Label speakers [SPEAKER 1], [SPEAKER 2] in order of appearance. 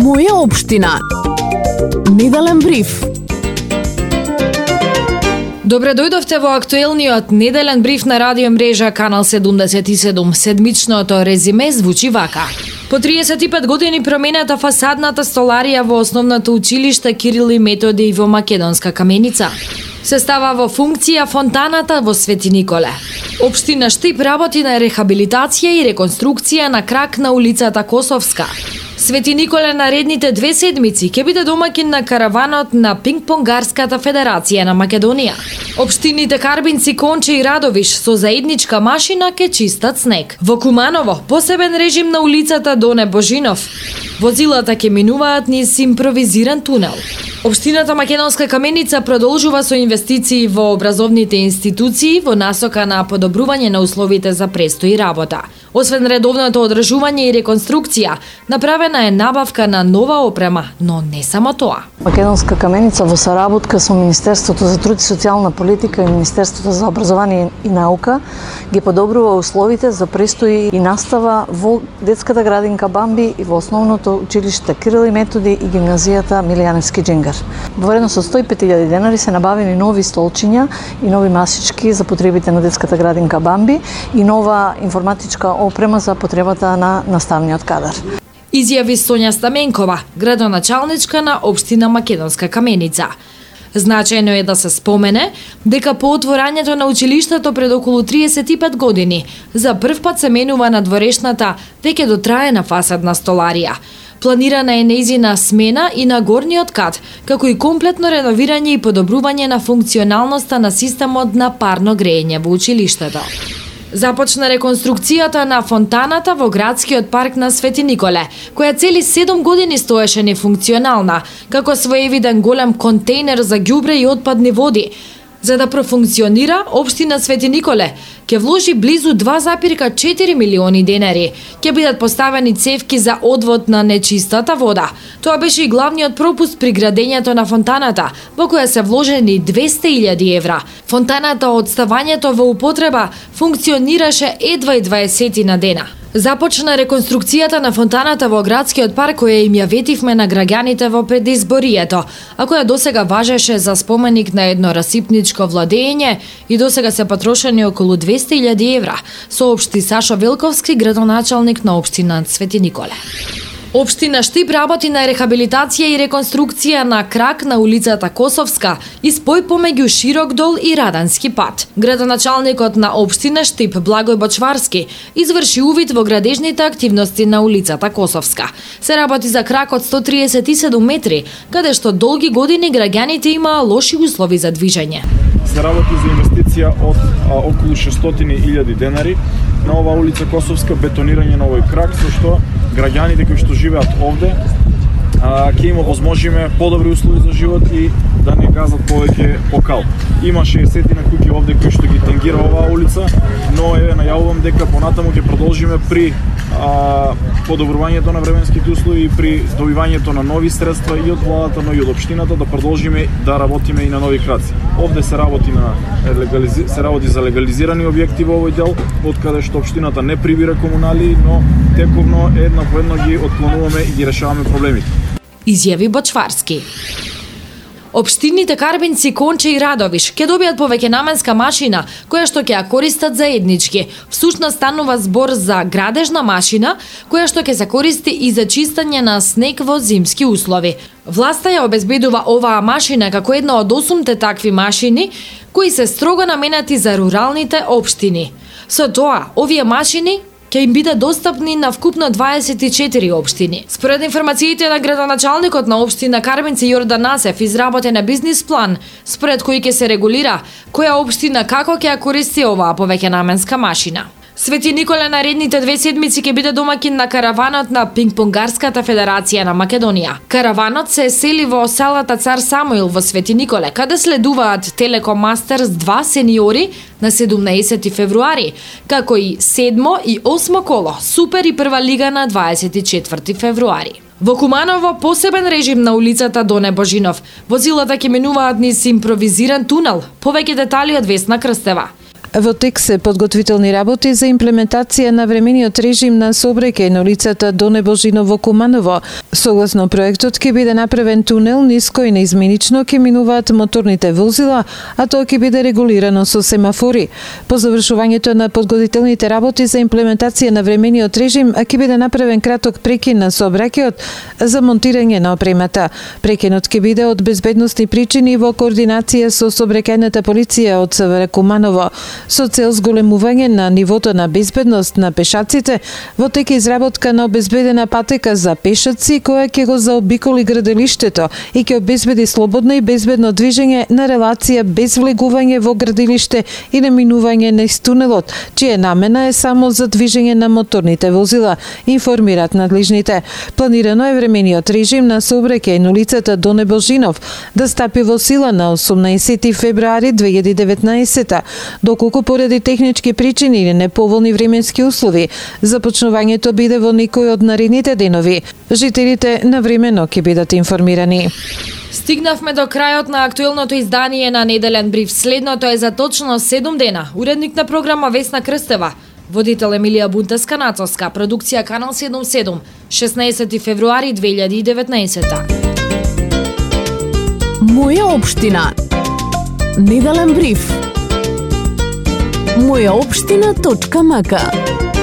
[SPEAKER 1] Моја општина. Неделен бриф.
[SPEAKER 2] Добре дојдовте во актуелниот неделен бриф на радио мрежа Канал 77. Седмичното резиме звучи вака. По 35 години променета фасадната столарија во основното училиште Кирил и Методи во Македонска Каменица. Се става во функција фонтаната во Свети Николе. Општина Штип работи на рехабилитација и реконструкција на крак на улицата Косовска. Свети Николе наредните 2 седмици ќе биде домакин на караванот на Пингпонгарската федерација на Македонија. Општините Карбинци, Конче и Радовиш со заедничка машина ке чистат снег. Во Куманово посебен режим на улицата Доне Божинов. Возилата ќе минуваат низ импровизиран тунел. Општината Македонска Каменица продолжува со инвестиции во образовните институции во насока на подобрување на условите за престој и работа. Освен редовното одржување и реконструкција, направена е набавка на нова опрема, но не само тоа.
[SPEAKER 3] Македонска Каменица во соработка со Министерството за труд и социјална политика и Министерството за образование и наука ги подобрува условите за престој и настава во детската градинка Бамби и во основното училиште Кирил и Методи и гимназијата Милијаневски Джингар. Во вредност од 105.000 денари се набавени нови столчиња и нови масички за потребите на детската градинка Бамби и нова информатичка опрема за потребата на наставниот кадар.
[SPEAKER 2] Изјави Сонја Стаменкова, градоначалничка на општина Македонска Каменица. Значајно е да се спомене дека по отворањето на училиштето пред околу 35 години за прв пат се менува на дворешната веќе дотраена фасадна столарија. Планирана е нејзина смена и на горниот кат, како и комплетно реновирање и подобрување на функционалноста на системот на парно грејење во училиштето. Започна реконструкцијата на фонтаната во градскиот парк на Свети Николе, која цели 7 години стоеше нефункционална, како своевиден голем контејнер за ѓубре и отпадни води. За да профункционира, општина Свети Николе ќе вложи близу 2,4 милиони денари. Ќе бидат поставени цевки за одвод на нечистата вода. Тоа беше и главниот пропуст при градењето на фонтаната, во која се вложени 200.000 евра. Фонтаната од ставањето во употреба функционираше едва и 20 на дена. Започна реконструкцијата на фонтаната во градскиот парк, која им ја ветивме на граѓаните во предизборието, а која досега важеше за споменик на едно расипничко владење и досега се потрошени околу 200.000 евра, соопшти Сашо Велковски, градоначалник на општина Свети Николе. Општина Штип работи на рехабилитација и реконструкција на крак на улицата Косовска и спој помеѓу Широк дол и Радански пат. Градоначалникот на општина Штип Благој Бочварски изврши увид во градежните активности на улицата Косовска. Се работи за крак од 137 метри, каде што долги години граѓаните имаа лоши услови за движење.
[SPEAKER 4] Се работи за инвестиција од околу 600.000 денари на оваа улица Косовска, бетонирање на овој крак, со што граѓаните кои што живеат овде ќе има возможиме подобри услови за живот и да не газат повеќе по кал. Има 60 на куќи овде кои што ги тангира оваа улица, но најавувам дека понатаму ќе продолжиме при подобрувањето на временските услови и при добивањето на нови средства и од владата, но и од општината да продолжиме да работиме и на нови краци. Овде се работи за легализирани објекти во овој дел, од каде што општината не прибира комунали, но тековно една по една ги отклонуваме и ги решаваме проблемите.
[SPEAKER 2] Изјави Бочварски. Општините Карбинци, Конче и Радовиш ќе добијат повеќе наменска машина, која што ќе ја користат заеднички. Всушност станува збор за градежна машина, која што ќе се користи и за чистење на снег во зимски услови. Власта ја обезбедува оваа машина како една од 8 такви машини, кои се строго наменати за руралните општини. Со тоа, овие машини ќе им биде достапни на вкупно 24 општини. Според информациите на градоначалникот на општина Карбинци Јордан Насев, изработен е бизнис план, според кој ќе се регулира која општина како ќе ја користи оваа повеќе наменска машина. Свети Николе наредните 2 седмици ќе биде домакин на караванот на Пингпонгарската федерација на Македонија. Караванот се сели во селата Цар Самуил во Свети Николе, каде следуваат Телеком Мастерс 2 сениори на 17 февруари, како и 7 и 8 коло, Супер и прва лига на 24 февруари. Во Куманово посебен режим на улицата Доне Божинов. Возилата ќе минуваат низ импровизиран тунел. Повеќе детали од Весна Крстева.
[SPEAKER 5] Во тек се подготвителни работи за имплементација на времениот режим на сообраќај на улицата Доне Божиново Куманово. Согласно проектот ќе биде направен тунел низ кој неизменично ќе минуваат моторните возила, а тоа ќе биде регулирано со семафори. По завршувањето на подготвителните работи за имплементација на времениот режим ќе биде направен краток прекин на сообраќајот за монтирање на опремата. Прекинот ќе биде од безбедностни причини во координација со сообраќајната полиција од СВР Куманово. Со цел зголемување на нивото на безбедност на пешаците, во тек е изработка на обезбедена патека за пешаци која ќе го заобиколи градилиштето и ќе обезбеди слободно и безбедно движење на релација без влегување во градилиште и наминување низ тунелот, чија намена е само за движење на моторните возила, информираат надлежните. Планирано е времениот режим на сообраќај на улицата Доне Божинов да стапи во сила на 18 февруари 2019, доколку поради технички причини или неповолни временски услови, започнувањето биде во некој од наредните денови. Жителите навремено ќе бидат информирани.
[SPEAKER 2] Стигнавме до крајот на актуелното издание на Неделен бриф. Следното е за точно 7 дена. Уредник на програма Весна Крстева, водител Емилија Бунтеска-Нацовска, продукција Канал 77, 16 февруари 2019.
[SPEAKER 1] Моја општина. Неделен бриф. Мојаопштина.мк